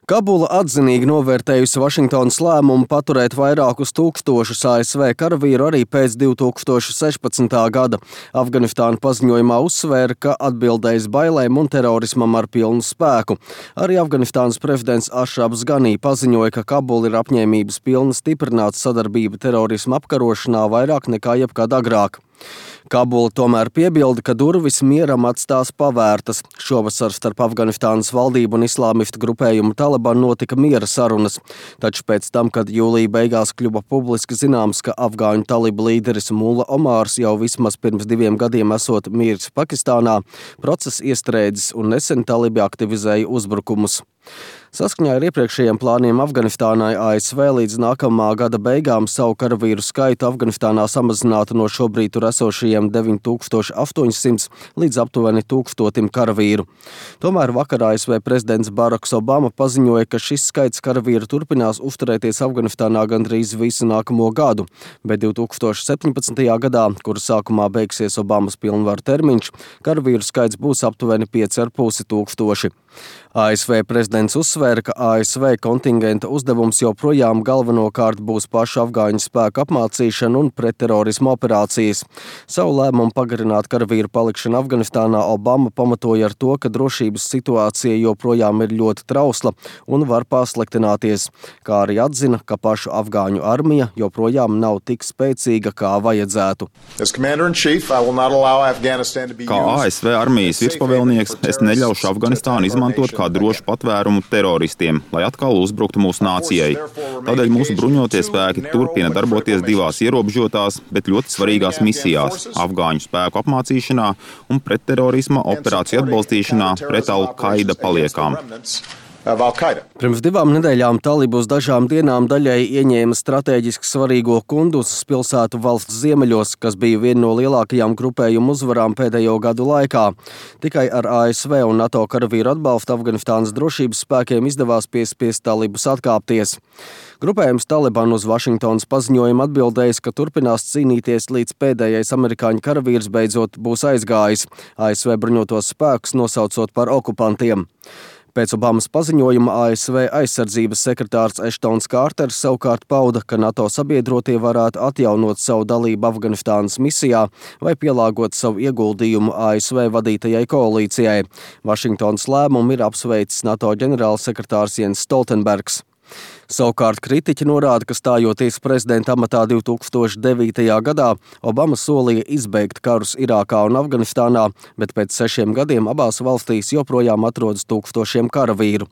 Kabula atzinīgi novērtējusi Vašingtonas lēmumu paturēt vairākus tūkstošus ASV karavīru arī pēc 2016. gada. Afganistāna paziņojumā uzsvēra, ka atbildēs bailēm un terorismam ar pilnu spēku. Arī Afganistānas prezidents Ašrafs Ganī paziņoja, ka Kabula ir apņēmības pilna stiprināt sadarbību terorisma apkarošanā vairāk nekā jebkad agrāk. Kabula tomēr piebilda, ka durvis mieram atstās pavērtas. Šovasar starp Afganistānas valdību un islāmistu grupējumu Taliban notika miera sarunas. Taču pēc tam, kad jūlija beigās kļuva publiski zināms, ka afgāņu talibu līderis Mulla Omārs jau vismaz pirms 2 gadiem esot miris Pakistānā, process iestrēdzis un nesen talibi aktivizēja uzbrukumus. Saskaņā ar iepriekšējiem plāniem Afganistānai ASV līdz nākamā gada beigām savu karavīru skaitu Afganistānā samazinātu no šobrīd tur esošajiem 9800 līdz aptuveni 1000 karavīru. Tomēr vakar ASV prezidents Baraks Obama paziņoja, ka šis skaits karavīru turpinās uzturēties Afganistānā gandrīz visu nākamo gadu, bet 2017. gadā, kura sākumā beigsies Obamas pilnvaru termiņš, karavīru skaits būs aptuveni 5500. ASV prezidents uzsvēra, ka ASV kontingenta uzdevums joprojām galvenokārt būs pašu afgāņu spēku apmācīšana un pretterorisma operācijas. Savu lēmumu pagarināt karavīru palikšanu Afganistānā Obama pamatoja ar to, ka drošības situācija joprojām ir ļoti trausla un var pasliktināties, kā arī atzina, ka pašu afgāņu armija joprojām nav tik spēcīga, kā vajadzētu. Kā ASV armijas virspavēlnieks, es neļaušu Afganistānu izmantot kā drošu patvērumu teroristiem, lai atkal uzbruktu mūsu nācijai. Tādēļ mūsu bruņotie spēki turpina darboties 2 ierobežotās, bet ļoti svarīgās misijās - afgāņu spēku apmācīšanā un pretterorisma operāciju atbalstīšanā pret Al-Qaida paliekām. Pirms 2 nedēļām talibi uz dažām dienām daļēji ieņēma strateģiski svarīgo Kunduzas pilsētu valsts ziemeļos, kas bija viena no lielākajām grupējumu uzvarām pēdējo gadu laikā. Tikai ar ASV un NATO karavīru atbalstu Afganistānas drošības spēkiem izdevās piespiest talibus atkāpties. Grupējums Taliban uz Vašingtonas paziņojumu atbildējis, ka turpinās cīnīties līdz pēdējais amerikāņu karavīrs beidzot būs aizgājis, ASV bruņotos spēkus nosaucot par okupantiem. Pēc Obamas paziņojuma ASV aizsardzības sekretārs Eštons Kārters savukārt pauda, ka NATO sabiedrotie varētu atjaunot savu dalību Afganistānas misijā vai pielāgot savu ieguldījumu ASV vadītajai koalīcijai. Vašingtonas lēmumu ir apsveicis NATO ģenerālsekretārs Jens Stoltenbergs. Savukārt kritiķi norāda, ka stājoties prezidenta amatā 2009. gadā, Obama solīja izbeigt karus Irākā un Afganistānā, bet pēc 6 gadiem abās valstīs joprojām atrodas tūkstošiem karavīru.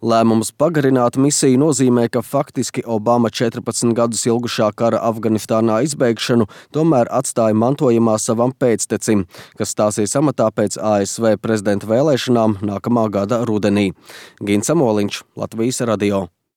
Lēmums pagarināt misiju nozīmē, ka faktiski Obama 14 gadus ilgušā kara Afganistānā izbeigšanu tomēr atstāja mantojumā savam pēctecim, kas stāsies amatā pēc ASV prezidenta vēlēšanām nākamā gada rudenī. Gins Amoliņš, Latvijas radio.